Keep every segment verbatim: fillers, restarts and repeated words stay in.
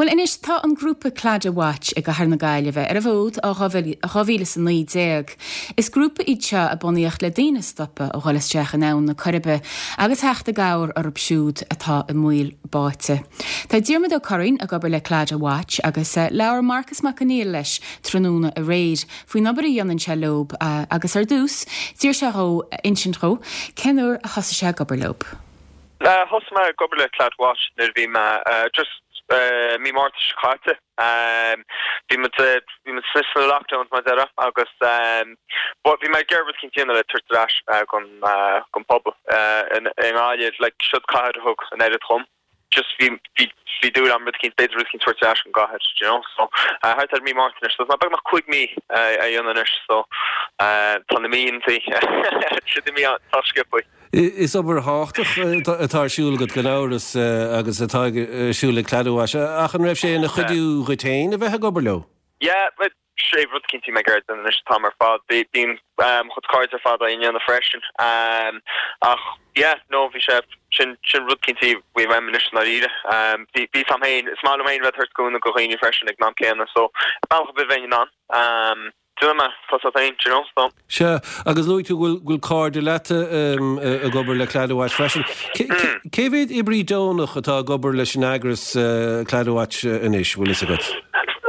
Well anois tá an grúpa Claddagh Watch i gCathair na Gaillimhe ar an bhfód ó dhá mhíle is a naoi déag. Is grúpa iad seo a bunaíodh le daoine a stopadh ó dhul isteach in Abhainn na Coiribe agus theacht i gcabhair orthu siúd atá i mbaol báite. Tá Diarmuid Ó Curraoin ag obair le Claddagh Watch agus eh, labhair Marcus Mac Conghail leis tráthnóna aréir faoin obair a dhéanann sé leo agus ar dtús d'iarr sé dhó insint dhó cén uair a thosaigh sé ag obair leo. Thosaigh mé ag obair le Claddagh Watch nuair bhí mé just mí Márta seo caite. Bhí bhí muid sna lockdown mar deire agus bhí mé ag iarraidh rud éicint a dhéanamh le tabhairt ar ais don don pobal i nGaillimh like siod cathair a thug an oiread dhom. Just bhí bhí dúil agam rud éicint b'fhéidir rud éicint tabhairt ar ais don gcathair you know so thart ar mí Márta anois so beagnach cúig mí a dhéanamh anois so tá na míontaí siad mí tá sciobtha. Is obair thábhachtach atá ar siúl agat gan amhras agus atá ar siúl ag Claddagh Watch ach an raibh sé ina chuidiú dhuit féin a bheith ag obair leo? Yeah, but sé rud cinnte mé gur anois tá ar fad bíonn chud cairde ar fad á dhéanamh freisin um, ach yeah no bhí sé sin sin rud cinnte bhí mé anois dáiríre um, bhí bhí sam féin is maith liom féin bheith ag cúnamh do dhaoine freisin ag an am céanna so bealach a bheith an um, Dúma tá féin you know so. Sea agus luaigh tú bhfuil bhfuil cairde leat ag obair le Claddagh Watch freisin. Cé mhéad oibrí deonach atá ag obair leis an eagras Claddagh Watch anois bhfuil fhios agat?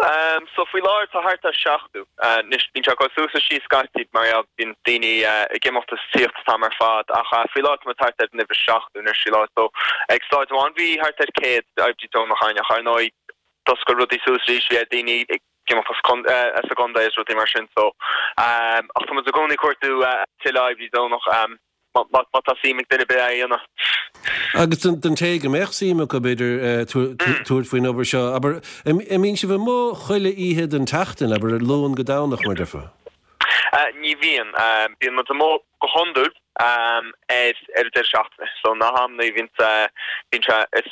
Um, so faoi láthair tá thart ar seachtó anois bíonn sé go suas is síos scaití mar bíonn daoine ag imeacht is tíocht tá mar fad ach faoi láthair tá thart ar nimh seachtó anois lá so ag staid amháin bhí thart ar céad oibrí deonach ann ach ar ndóigh d'oscail rudaí suas arís bhí daoine ag imeacht as an gcontae is rudaí mar sin so um, ach tá muid i gcónaí ag cuartú tuilleadh oibrí deonach um, má tá suim ag duine ar bith a dhéanamh. Agus den té go mbeadh suim acu b'fhéidir tabhairt faoin obair seo, abair an mbíonn sibh amuigh chuile oíche den tseachtain abair Luan go Domhnach mar déarfá. Ní bhíonn bíonn muid amuigh go hiondúil ar ar deireadh seachtaine, so na hamanna bhíonn bíonn sé is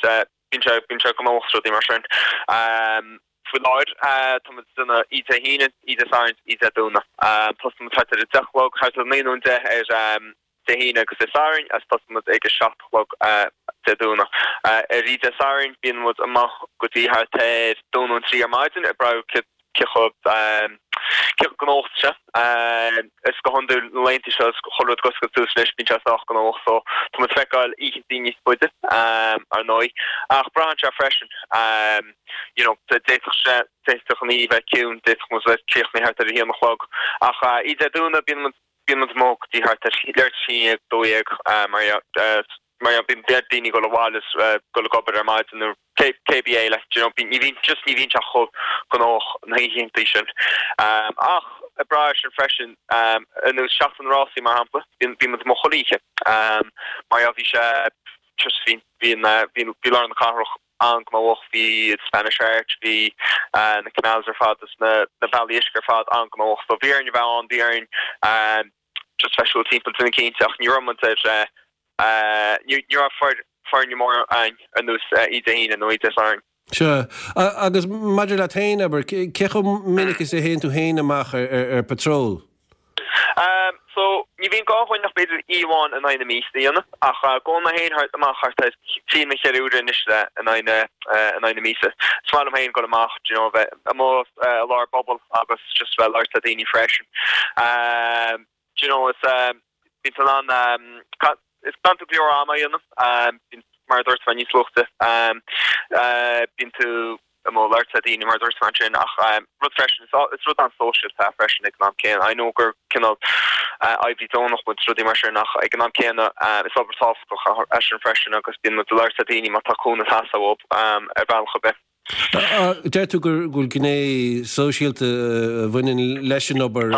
bíonn sé bíonn sé gnóthach rudaí mar sin. Faoi láthair tá muid ag déanamh oíche Dé hAoine, oíche Dé Sathairn, oíche Dé Domhnaigh. Tosaíonn muid thart ar a deich a chlog, thart ar naoi nó deich ar Dé hAoine agus Dé Sathairn agus tosaíonn muid ag a seacht a chlog Dé Domhnaigh. Ar oíche Dé Sathairn bíonn muid amach go dtí thart ar dó nó trí ar maidin ag brath cé chomh cé chomh gnóthach sé. Is go hiondúil na laethanta seo is chuile rud ag oscailt suas anois bíonn sé sách gnóthach so tá muid ag feiceáil oícheanta níos faide ar ndóigh. Ach braitheann sé freisin you know d'fhéadfadh sé d'fhéadfadh an oíche bheith ciúin, d'fhéadfadh muid bheith críochnaithe thart ar a haon a chlog. Ach oíche Dé Domhnaigh bíonn muid bíonn muid amuigh go dtí thart ar leathuair tar éis a haon, dó dhéag mar mar bíonn daoine ag dul abhaile is dul ag obair ar maidin nó cébí é like you know ní bhíonn just ní bhíonn sé chomh gnóthach na hoícheanta sin. Ach ag brath air sin freisin ar nós Seachtain na Rásaí mar shampla bíonn bíonn muid amuigh chuile oíche mar bhí sé just bhí bhí bhí bhí lár na cathrach an-ghnóthach bhí Spanish Arch bhí na canals ar fad is na na bealaí uisce ar fad an-ghnóthach so bhí orainn a bheith ann bhí orainn just bheith siúl timpeall duine cinnte ach ní raibh muid ar ní raibh foirne mór ann ar nós oíche Dé hAoine nó oíche Dé Sathairn. Sea, agus maidir leat féin, abair, cé chomh minic is a théann tú féin amach ar ar patrol? Um, so ní bhíonn gá dhúinn ach b'fhéidir oíche amháin in aghaidh na míosa a dhéanamh ach gabhann mé féin thart amach thart ar trí nó ceithre huaire anois le in aghaidh na in aghaidh na míosa. Is maith liom féin dul amach, do you know, bheith amuigh i lár an phobail agus just bheith ag labhairt le daoine freisin. Um, do you know, is bíonn tú in ann is bíonn tú go leor ama a dhéanamh, bíonn mar a dúirt mé níos luaithe, bíonn tú amuigh ag labhairt le daoine mar a dúirt mé ansin ach rud freisin is rud an-sóisialta é freisin ag an am céanna. I know gur cineál oibrí deonach muid rudaí mar sin ach ag an am céanna is obair tábhachtach é sin freisin agus bíonn muid ag labhairt le daoine má tá cúnamh ag teastáil uathu ar bhealach ar bith. Deir tú go bhfuil gné sóisialta a bhaineann leis an obair,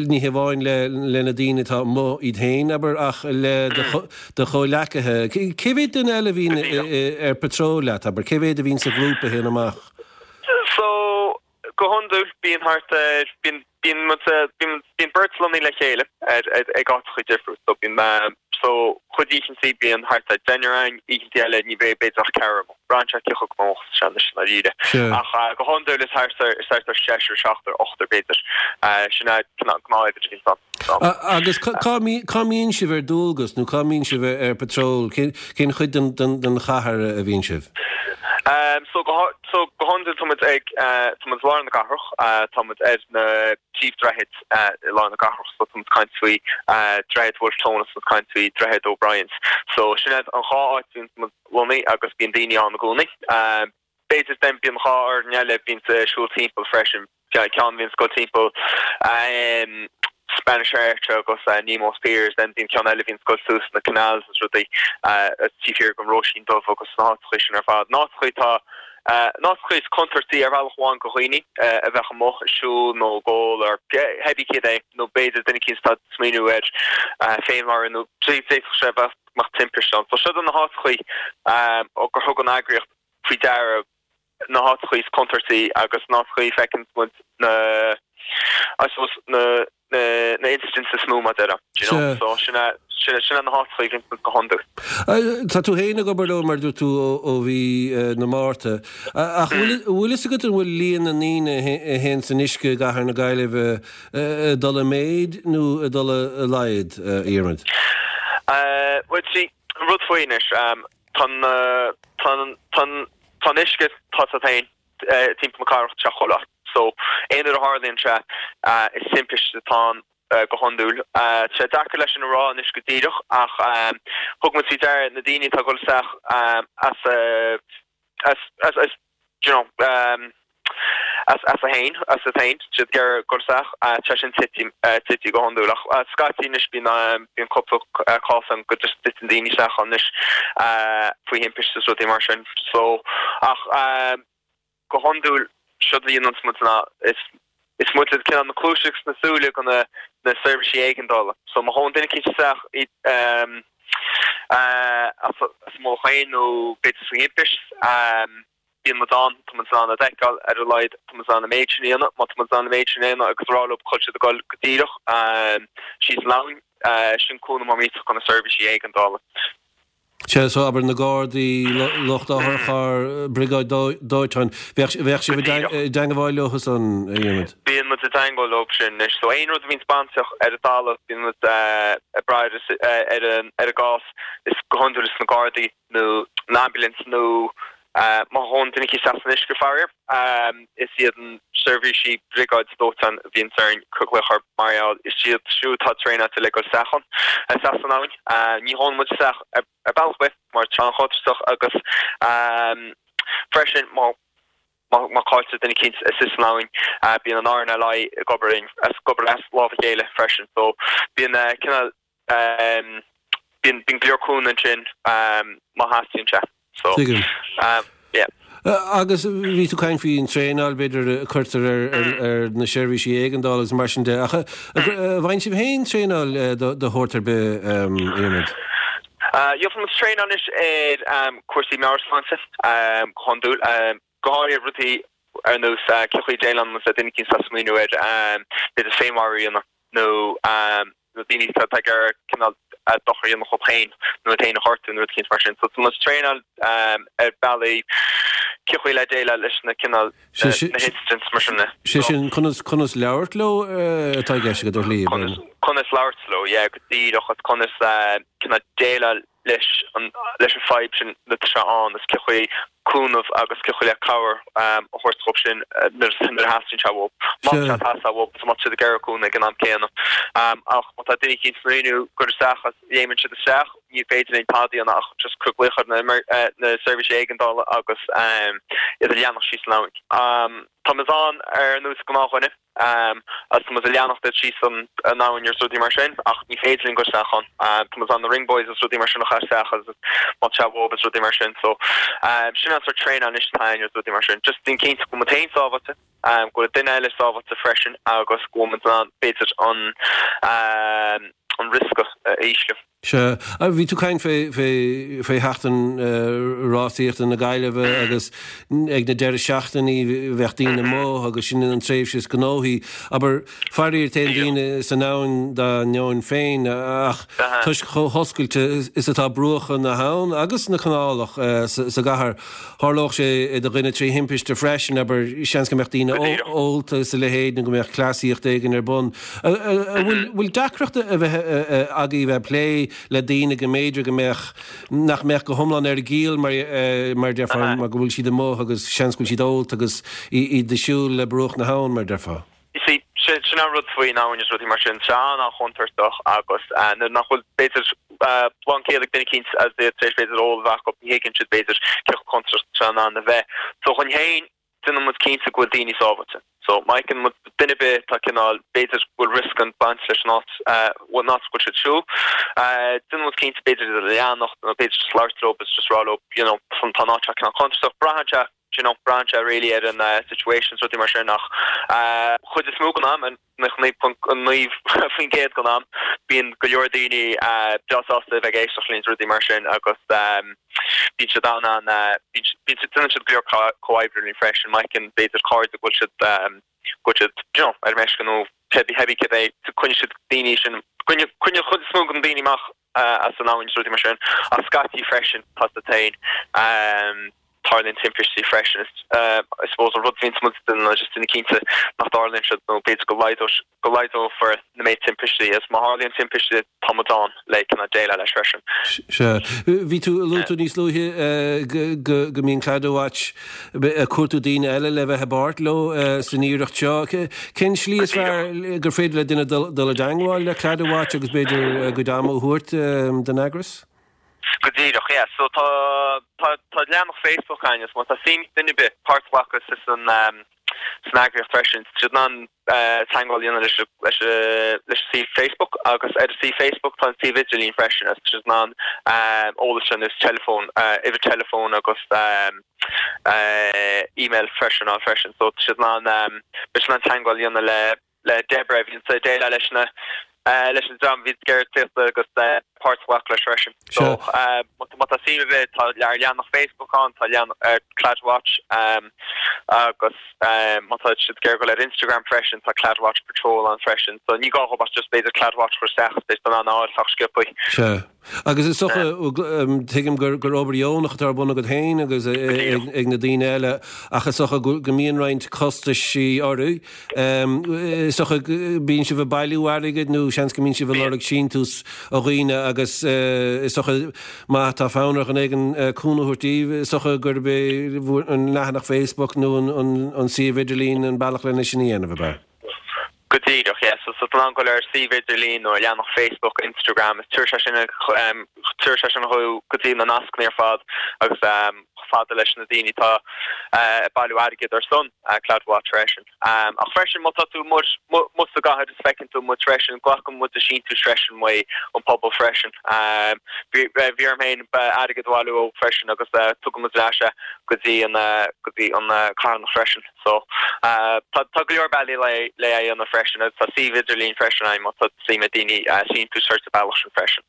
ní hamháin le na daoine atá amuigh iad féin, abair, ach le do chomhleacaithe. Cé mhéad duine eile a bhíonn ar patrol leat, abair? Cé mhéad a bhíonn sa ghrúpa a théann amach? So, go hiondúil bíonn thart ar, bíonn Bíonn muid bíonn bíonn beirt lonnaithe le chéile ar ar ag áiteacha difriúil so bíonn so cuid oícheantaí bíonn thart ar deichniúr ann, oícheantaí eile ní bheidh b'fhéidir ach ceathrar amuigh. Braitheann sé cé chomh gnóthach is atá sé anois i ndáiríre. Ach go hiondúil is thart ar is thart ar seisear, seachtar, ochtar b'fhéidir. Sin é gnáth uimhir a bhíonns ann. So. Agus cá cá mbíonn sibh ar dualgas nó cá mbíonn sibh ar patrol? Cén cén chuid den den den chathair a bhíonn sibh? So go so go hiondúil tá muid ag tá muid i lár na cathrach, tá muid ar na príomhdhroichid i lár na cathrach so tá muid ag caint faoi Droichead Wolfe Tone agus tá muid ag caint faoi Droichead O'Brien's. So sin iad an dhá áit a bhíonn muid lonnaithe agus bíonn daoine ann i gcónaí. B'fhéidir then bíonn dhá fhoireann eile a bhíonns ag siúl timpeall freisin. Ceann a bhíonns ag dul timpeall Spanish Arch agus Nemo's Piers, then bíonn ceann eile a bhíonns ag dul suas na canals agus rudaí taobh thiar den Róisín Dubh agus na háiteachaí sin ar fad. Na háiteachaí atá na háiteachaí is contúirtí ar bhealach amháin do dhaoine a bheadh amuigh ag siúl nó ag ól or cibé céard é nó b'fhéidir duine eicínt atá ag smaoineamh ar féinmharú nó d'fhéadfadh sé bheith mbeadh timpiste ann. So seo na háiteachaí gur thug an eagraíocht faoi deara na háiteachaí is contúirtí agus na háiteachaí a feiceann muid na I suppose na na na incidents is mó mar déarfá, do you know. So sin é sin sin é na háiteachaí a bhíonn muid go hiondúil. Tá tú féin ag obair leo mar dúirt tú ó ó mhí na Márta. Ach bhfuil bhfuil fhios agat an bhfuil líon na ndaoine a théann san uisce i gcathair na Gaillimhe ag dul i méid nó ag dul i laghad, a Dhiarmuid? Bhuel see, an rud faoi anois, tá an tá an tá an Tá an uisce tá sé féin timpeall na cathrach tá sé chuile áit. So aon uair a tharlaíonn sé is timpiste atá ann go hiondúil. Tá sé deacair leis sin a rá anois go díreach ach thug muid faoi deara na daoine atá ag dul isteach as as as as do you know as as a fhéin as a féin siad ag iarraidh dul isteach tá sin tite tite go hiondúil ach scaití anois bíonn bíonn cúpla cás ann go just dtiteann daoine isteach ann anois faoi thimpiste is rudaí mar sin so ach go hiondúil seod a dhéananns muid ná is is muid cineál na cluaise agus na súile do na na seirbhísí éigeandála so má théann duine eicínt isteach as as a mullach féin nó b'fhéidir faoi thimpist Bíonn muid ann, tá muid in ann iad a fheiceáil, ar a laghad tá muid in ann an méid sin a dhéanamh, má tá muid in ann an méid sin a dhéanamh agus a rá leo go bhfuil siad ag dul go díreach síos an abhainn, sin cúnamh mór millteach do na seirbhísí éigeandála. Sea, so abair na Gardaí, lucht otharchairr, briogáid dóiteáin, bheadh bheadh sibh i dteangmháil leo san, a Dhiarmuid? Bíonn muid i dteangmháil leo sin anois. So aon rud a bhíonns bainteach ar an talamh, bíonn muid ag brath ar an ar an gcás, is go hiondúil is na Gardaí nó an ambulance nó Má théann duine eicínt isteach san uisce, faraor, is iad na seirbhísí briogáid dóiteáin a bhíonns orainn cur glaoch orthu mar gheall is iad siúd atá traenáilte le dul isteach ann, isteach san abhainn. Ní théann muid isteach ar bealach ar bith mar tá an-chontúirteach agus freisin má má cailltear duine eicínt istigh san abhainn bíonn an RNLI ag obair linn, ag obair as lámh a chéile freisin. So bíonn cineál Bíonn bíonn go leor cúnamh ansin má theastaíonn sé. So, Tuigim. yeah. Agus bhí tú ag caint faoin traenáil b'fhéidir a cuirtear ar ar ar na seirbhísí éigeandála agus mar sin de ach an bhfaigheann sibh féin traenáil de shórt ar bith, a Dhiarmuid? Gheobhaidh muid traenáil anois ar cúrsaí meabhairshláinte go hiondúil, go háirithe rudaí ar nós cén chaoi a déileálann muid le duine eicínt atá ag smaoineamh ar b'fhéidir féinmharú a dhéanamh. nó na daoine atá ag iarraidh cineál dochar a dhéanamh dhóibh féin nó iad féin a ghortú nó rud eicínt mar sin. So tá muid ag traenáil ar bealaí cén chaoi le déileáil leis na cineál na incidents mar sin. Sé sin conas conas labhairt leo atá i gceist agat ar shlí, Conas conas labhairt leo, yeah, go díreach agus conas cineál déileáil leis an leis an fadhb sin nuair atá sé ann is cén chaoi cúnamh agus cén chaoi le cabhair a thabhairt dhóibh sin nuair nuair a theastaíonn sé uathu. Má tá sé ag teastáil uathu is má tá siad ag iarraidh cúnamh ag an am céanna. Ach má tá duine eicínt ag smaoineamh dul isteach agus léimeann siad isteach, ní féidir linn tada a dhéanamh ach just cur glaoch ar na na seirbhísí éigeandála agus iad a leanacht síos an abhainn. Tá muid ann ar nós gnáthdhuine. Agus tá muid ag leanacht iad síos an abhainn agus rudaí mar sin ach ní féidir linn dul isteach ann. Tá muid in ann na ring buoys agus rudaí mar sin a chur isteach agus má tá sé uathu agus rudaí mar sin. So sin an sort traenáil anois atá againn agus rudaí mar sin. Just déan cinnte go bhfuil muid féin sábháilte, go bhfuil an duine eile sábháilte freisin agus go bhfuil muid in ann b'fhéidir an an riosca a ísliú. Sea, bhí tú ag caint fé fé sheachtain rásaíochta na Gaillimhe agus ag na deireadh seachtainí bheadh daoine amuigh agus sin an tréimhse is gnóthaí. Abair, faraor téann daoine san abhainn dá ndeoin féin ach toisc chomh hoscailte is atá bruacha na habhann agus na canálach sa gcathair, tharlódh sé do dhuine trí thimpiste freisin, abair, seans go mbeadh daoine ólta is a leithéid nó go mbeadh cleasaíocht éigin ar bun. An bhfuil deacracht a bheith agaibh bheith ag plé le daoine go mb'fhéidir go mbeadh, nach mbeadh go hiomlán ar a gciall mar mar a déarfá, mar go bhfuil siad amuigh agus seans go bhfuil siad ólta agus iad ag siúl le bruach na habhann mar a déarfá? You see, sin an rud faoin abhainn is rudaí mar sin, tá sé an-chontúirteach agus nuair nach bhfuil b'fhéidir lánchiall ag duine eicínt agus iad tar éis b'fhéidir ól a bheith acu, ní thuigeann siad b'fhéidir cé chomh contúirteach is atá in ann a bheith. So dhúinn féin, déanann muid cinnte go bhfuil daoine sábháilte. So má fheiceann muid duine ar bith atá cineál, b'fhéidir go bhfuil riosca ag baint leis an áit, an áit go bhfuil siad ag siúl, déanann muid cinnte b'fhéidir iad a leanacht nó b'fhéidir just labhairt leo agus just rá leo, you know, tá an áit seo cineál contúirteach. Braitheann sé, you know, braitheann sé really ar an situation is rudaí mar sin ach chuid is mó den am, naocha naoi ponc naoi faoin gcéad den am, bíonn go leor daoine breá sásta a bheith ag éisteacht linn is rudaí mar sin agus bíonn siad an an bíonn siad déanann siad go leor comhoibriú linn freisin, má fheiceann b'fhéidir cairde go bhfuil siad go bhfuil siad you know ar meisce nó cibé céard é coinneoidh siad daoine sin coinneoidh an chuid is mó den daoine amach as an abhainn is rudaí mar sin ach scaití freisin tá siad féin. Tarlaíonn timpistí freisin. I suppose an rud a bhíonns muid ag déanamh ná just déanamh cinnte nach dtarlaíonn siad nó b'fhéidir go laghdódh go laghdófar na méid timpistí agus má tharlaíonn timpiste tá muid ann le cineál déileáil leis freisin. Sea. Bhí tú, luaigh tú níos luaithe go go go mbíonn Claddagh Watch ag cuartú daoine eile le bheith i bpáirt leo san iarracht seo. Cén slí is fearr gur féidir le duine dul dul i dteangmháil le Claddagh Watch agus b'fhéidir a gcuid ama a thabhairt don eagras? Go díreach, yeah. So tá, tá, tá leathanach Facebook againn agus má tá suim ag duine ar bith páirt a ghlacadh sa, san, san eagraíocht freisin, tá siad in ann teagmháil a dhéanamh leis, leis, leis an suíomh Facebook agus ar an suíomh Facebook tá an suíomh idirlín freisin agus tá siad in ann eolas ar nós teileafón, uimhir teileafóin agus email freisin ann freisin. So tá siad in ann, beidh siad in ann teagmháil a dhéanamh le le Deborah a bhíonns ag déileáil leis na leis an dream a bhíonns ag iarraidh tíocht agus páirt a ghlacadh leis freisin. So má tá suim ar bith tá ár leathanach Facebook ann, tá leathanach Claddagh Watch agus má tá siad ag iarraidh dul ar Instagram freisin tá Claddagh Watch Patrol ann freisin. So ní gá dhóibh ach just b'fhéidir Claddagh Watch a chur isteach is beidh siad in ann a fháil sách sciobtha. Sea. Agus is dócha, tuigim gur obair dheonach atá ar bun agat féin agus ag na daoine eile ach is dócha go mbíonn roinnt costaisí oraibh. Is dócha bíonn sibh ag bailiú airgid nó seans go mbíonn sibh ag lorg síntiús ó dhaoine agus is dócha má tá fonn ar dhuine éigin cúnamh a thabhairt daoibh, is dócha gurb é an leathanach Facebook nó an suíomh idirlín an bealach lena sin a dhéanamh, ab ea? Go díreach, yeah. So, so tá in ann dul ar suíomh idirlín nó ar leathanach Facebook, Instagram, is tabharfaidh sé sin, tabharfaidh sé sin thú go dtí na nascanna ar fad agus chomh fada leis na daoine atá ag bailiú airgid ar son Claddagh Watch freisin. Ach freisin má tá tú amuigh sa gcathair is feiceann tú muid freisin, glacann muid le síntiúis freisin uaidh an pobal freisin. Bhí bhí orm féin airgead a bhailiú freisin agus tugann muid ar ais é go dtí an go dtí an carthanacht freisin. So, tá tá go leor bealaí le le é a dhéanamh freisin agus tá suíomh idirlín freisin ann má tá suim ag daoine síntiús a thabhairt sa bealach sin freisin.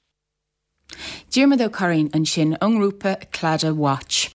Diarmuid Ó Curraoin ansin ón ngrúpa Claddagh Watch.